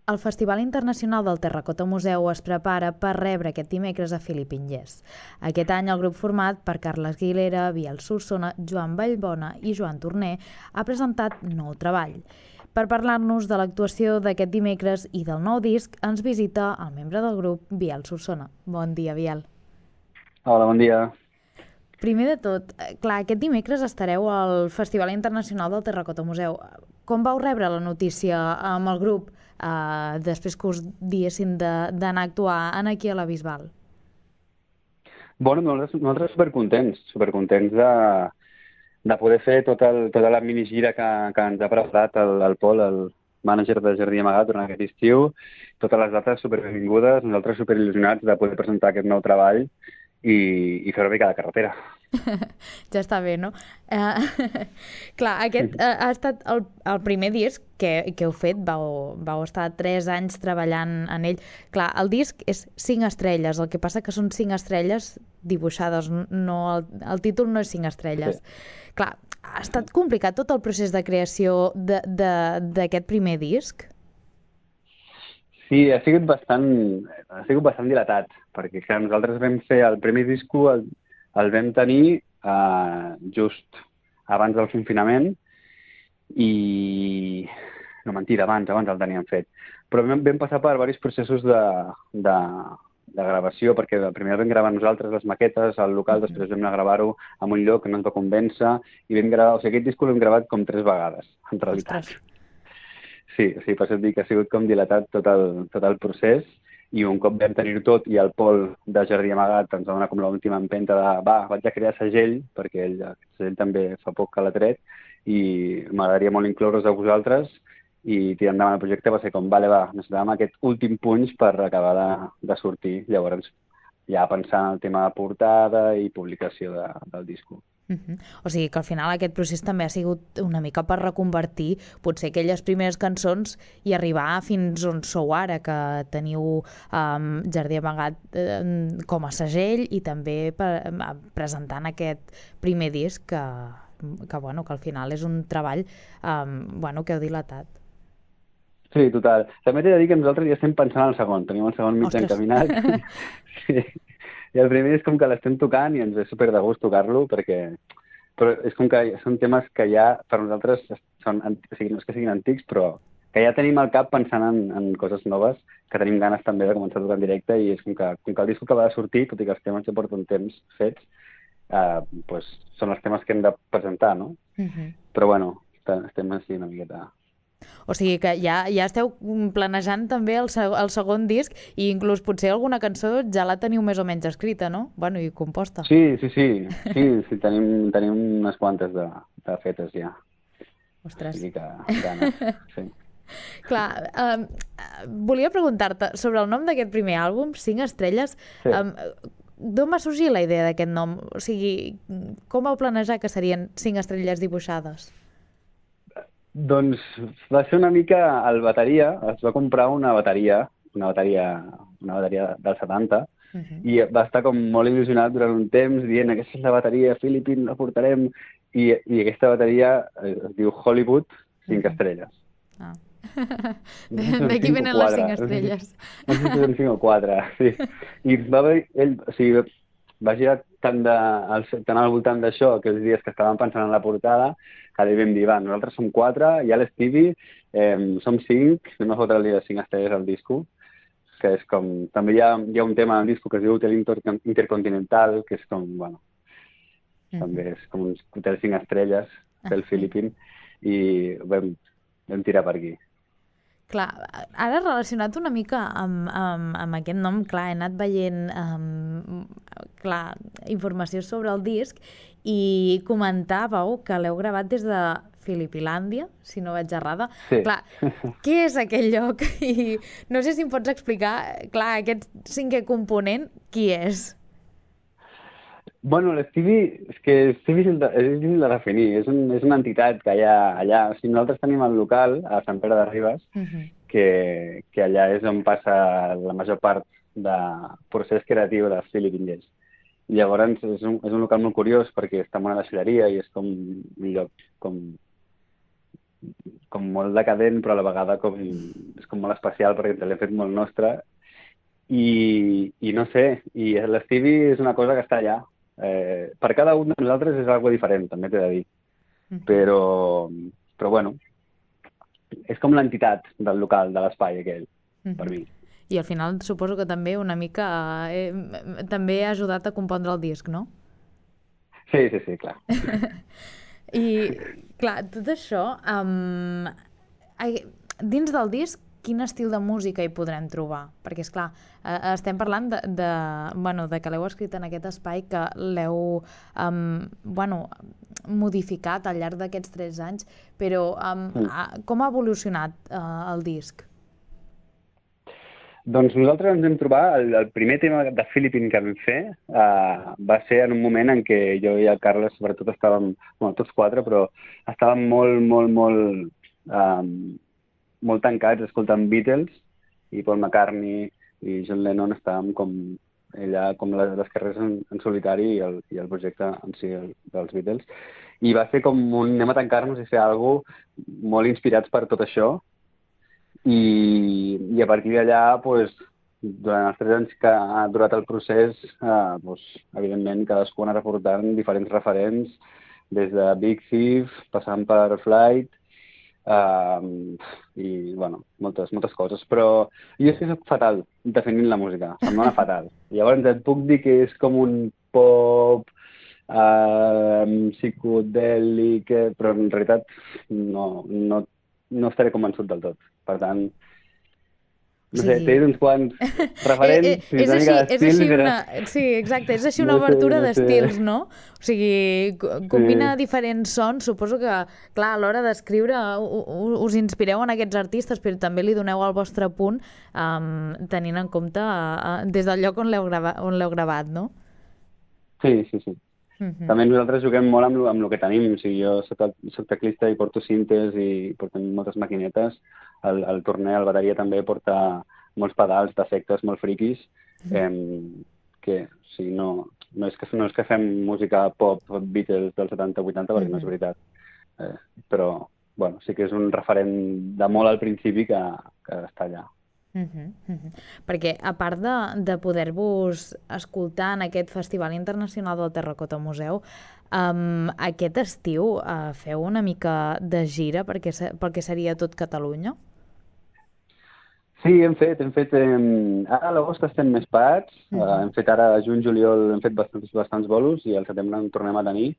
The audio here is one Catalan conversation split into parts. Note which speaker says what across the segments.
Speaker 1: el Festival Internacional del Terracota Museu es prepara per rebre aquest dimecres a Philippine Jazz. Aquest any el grup format per Carles Aguilera, Biel Solsona, Joan Vallbona i Joan Torner ha presentat nou treball. Per parlar-nos de l'actuació d'aquest dimecres i del nou disc, ens visita el membre del grup, Biel Solsona. Bon dia, Biel.
Speaker 2: Hola, bon dia.
Speaker 1: Primer de tot, clar, aquest dimecres estareu al Festival Internacional del Terracota Museu. Com vau rebre la notícia amb el grup després que us diessin d'anar a actuar aquí a la Bisbal?
Speaker 2: Bueno, nosaltres supercontents de poder fer tota la minigira que ens ha preparat el Pol, el mànager de Jardí Amagat durant aquest estiu. Totes les dates superbenvingudes, nosaltres superil·lusionats de poder presentar aquest nou treball i fer una mica de carretera.
Speaker 1: Ja està bé, no? Clar, aquest ha estat el primer disc que heu fet, vau estar 3 anys treballant en ell. Clar, el disc és 5 estrelles, el que passa que són 5 estrelles dibuixades, no, el títol no és 5 estrelles. Sí. Clar, ha estat complicat tot el procés de creació d'aquest primer disc?
Speaker 2: Sí, ha sigut bastant dilatat, perquè clar, nosaltres vam fer el primer disco, el vam tenir just abans del confinament i... No, mentida, abans el teníem fet. Però vam passar per diversos processos de gravació, perquè primer vam gravar nosaltres les maquetes al local, després vam anar a gravar-ho en un lloc que no ens va convèncer i vam gravar... O sigui, aquest disco l'hem gravat com 3 vegades, en realitat.
Speaker 1: Ostres.
Speaker 2: Sí, per això et dic que ha sigut com dilatat tot el procés i un cop vam tenir tot i el Pol de Jardí Amagat ens va donar com l'última empenta de vaig a crear segell, perquè ell també fa poc que l'ha tret i m'agradaria molt incloure's a vosaltres i tirar endavant el projecte va ser com, necessitàvem aquest últim punx per acabar de sortir. Llavors ja pensar en el tema de portada i publicació del disco.
Speaker 1: O sigui que al final aquest procés també ha sigut una mica per reconvertir potser aquelles primeres cançons i arribar fins on sou ara, que teniu Jardí Amagat com a segell i també presentant aquest primer disc que al final és un treball que heu dilatat.
Speaker 2: Sí, total. També t'he de dir que nosaltres ja estem pensant en el segon. Tenim el segon mig encaminat. Sí. I el primer és com que l'estem tocant i ens ve super de gust tocar-lo, però és com que són temes que ja per nosaltres són, o sigui, no és que siguin antics, però que ja tenim al cap pensant en coses noves, que tenim ganes també de començar a tocar en directe i és com que el disco acaba de sortir, tot i que els temes ja porten temps fets, doncs són els temes que hem de presentar, no? Però bueno, estem així una miqueta...
Speaker 1: O sigui que ja esteu planejant també el segon disc i inclús potser alguna cançó ja la teniu més o menys escrita, no? Bueno, i composta.
Speaker 2: Sí, tenim unes quantes de fetes ja.
Speaker 1: Ostres.
Speaker 2: I que ganes, sí.
Speaker 1: Clar, volia preguntar-te sobre el nom d'aquest primer àlbum, 5 estrelles.
Speaker 2: Sí.
Speaker 1: D'on va sorgir la idea d'aquest nom? O sigui, com vau planejar que serien 5 estrelles dibuixades?
Speaker 2: Doncs va ser una mica el bateria, es va comprar una bateria del 70 i va estar com molt il·lusionat durant un temps dient aquesta és la bateria, Philippine, la portarem i aquesta bateria es diu Hollywood 5 estrelles.
Speaker 1: Ah. D'aquí venen les 5 estrelles.
Speaker 2: No sé si són 5 o 4, sí. I va girar tant al voltant d'això aquells dies que estàvem pensant en la portada que li vam dir, nosaltres som 4, hi ha l'Stevie, som 5, anem a fotre-li les 5 estrelles al disco, que és com... També hi ha un tema al disco que es diu Hotel Intercontinental, que és com, també és com un hotel 5 estrelles del Philippine, i vam tirar per aquí.
Speaker 1: Clar, ara relacionat una mica amb aquest nom, clar, he anat veient informació sobre el disc i comentàveu que l'heu gravat des de Filipilàndia, si no vaig errada.
Speaker 2: Sí.
Speaker 1: Clar, què és aquell lloc? I no sé si em pots explicar, clar, aquest 5è component, qui és?
Speaker 2: Bueno, l'Stevie, és que Stevie és difícil de definir, és una entitat que hi ha allà. O sigui, nosaltres tenim el local a Sant Pere de Ribes, que allà és on passa la major part del procés creatiu de Philippine Jazz. I llavors és un local molt curiós perquè està en una deixalleria i és com un lloc com molt decadent, però a la vegada és com molt especial perquè ens l'hem fet molt nostre i no sé, i l'Stevie és una cosa que està allà. Per cada un de nosaltres és algo diferent, també t'he de dir. Però bueno, és com l'entitat del local, de l'espai aquell, per mi.
Speaker 1: I al final suposo que també una mica també ha ajudat a compondre el disc, no?
Speaker 2: Sí, clar.
Speaker 1: I, clar, tot això, dins del disc, quin estil de música hi podrem trobar? Perquè, esclar, estem parlant de que l'heu escrit en aquest espai, que l'heu modificat al llarg d'aquests 3 anys, però com ha evolucionat el disc?
Speaker 2: Doncs nosaltres ens vam trobar, el primer tema de Philippine que vam fer va ser en un moment en què jo i el Carles sobretot estàvem, bueno, tots 4, però estàvem molt tancats escoltant Beatles i Paul McCartney i John Lennon estàvem com ella, com les carreres en solitari i el projecte en si dels Beatles. I va ser com anem a tancar-nos i fer alguna cosa molt inspirats per tot això. I a partir d'allà, durant els 3 anys que ha durat el procés, evidentment cadascú ha anat aportant diferents referents, des de Big Thief, passant per Flight, i moltes coses. Però jo és que soc fatal definint la música, se'm dona fatal. Llavors et puc dir que és com un pop psicodèlic, però en realitat no estaré convençut del tot. Per tant, no sé, t'he dit uns quants referents.
Speaker 1: És així una... Sí, exacte, és així una obertura d'estils, no? O sigui, combina diferents sons. Suposo que, clar, a l'hora d'escriure us inspireu en aquests artistes, però també li doneu el vostre punt tenint en compte des del lloc on l'heu gravat, no?
Speaker 2: Sí. També nosaltres juguem molt amb el que tenim. O sigui, jo soc teclista i porto cintes i portem moltes maquinetes. El torner, el bateria també porta molts pedals d'efectes molt friquis que o sigui, no és que fem música pop Beatles dels 70-80 perquè no és veritat. Però bueno, sí que és un referent de molt al principi que està allà.
Speaker 1: Perquè a part de poder-vos escoltar en aquest Festival Internacional del Terracota Museu, aquest estiu feu una mica de gira perquè seria tot Catalunya?
Speaker 2: Sí, hem fet. Ara a l'agost estem més parats. Hem fet ara a juny, juliol, hem fet bastants bolos i al setembre en tornem a tenir.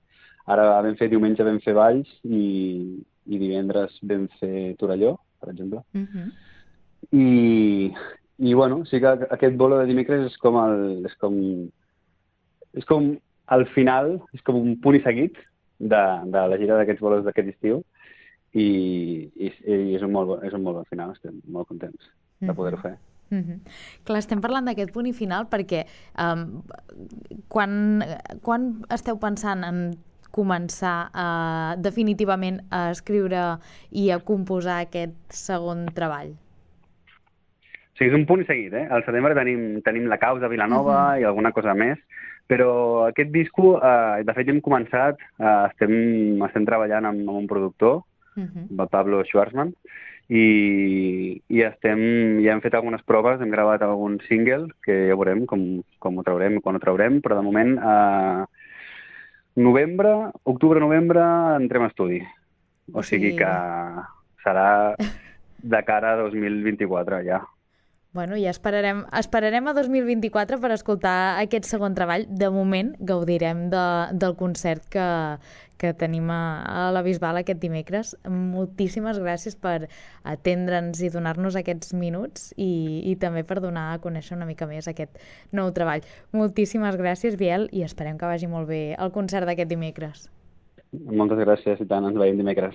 Speaker 2: Ara diumenge vam fer Valls i divendres vam fer Torelló, per exemple. I bueno, sí que aquest bolo de dimecres és com el final, és com un punt i seguit de la gira d'aquests bolos d'aquest estiu i és un molt bon final, estem molt contents de poder-ho fer.
Speaker 1: Clar, estem parlant d'aquest punt i final perquè quan esteu pensant en començar definitivament a escriure i a composar aquest segon treball?
Speaker 2: Sí, és un punt i seguit, eh? Al setembre tenim la causa a Vilanova i alguna cosa més, però aquest disco, de fet, hem començat, estem treballant amb un productor, el Pablo Schwarzman, i ja hem fet algunes proves, hem gravat algun single, que ja veurem com ho traurem i quan ho traurem, però de moment, octubre-novembre entrem a estudi. O sigui que serà de cara a 2024 ja.
Speaker 1: Bueno, ja esperarem a 2024 per escoltar aquest segon treball. De moment gaudirem del concert que tenim a la Bisbal aquest dimecres. Moltíssimes gràcies per atendre'ns i donar-nos aquests minuts i també per donar a conèixer una mica més aquest nou treball. Moltíssimes gràcies, Biel, i esperem que vagi molt bé el concert d'aquest dimecres.
Speaker 2: Moltes gràcies i tant, ens veiem dimecres.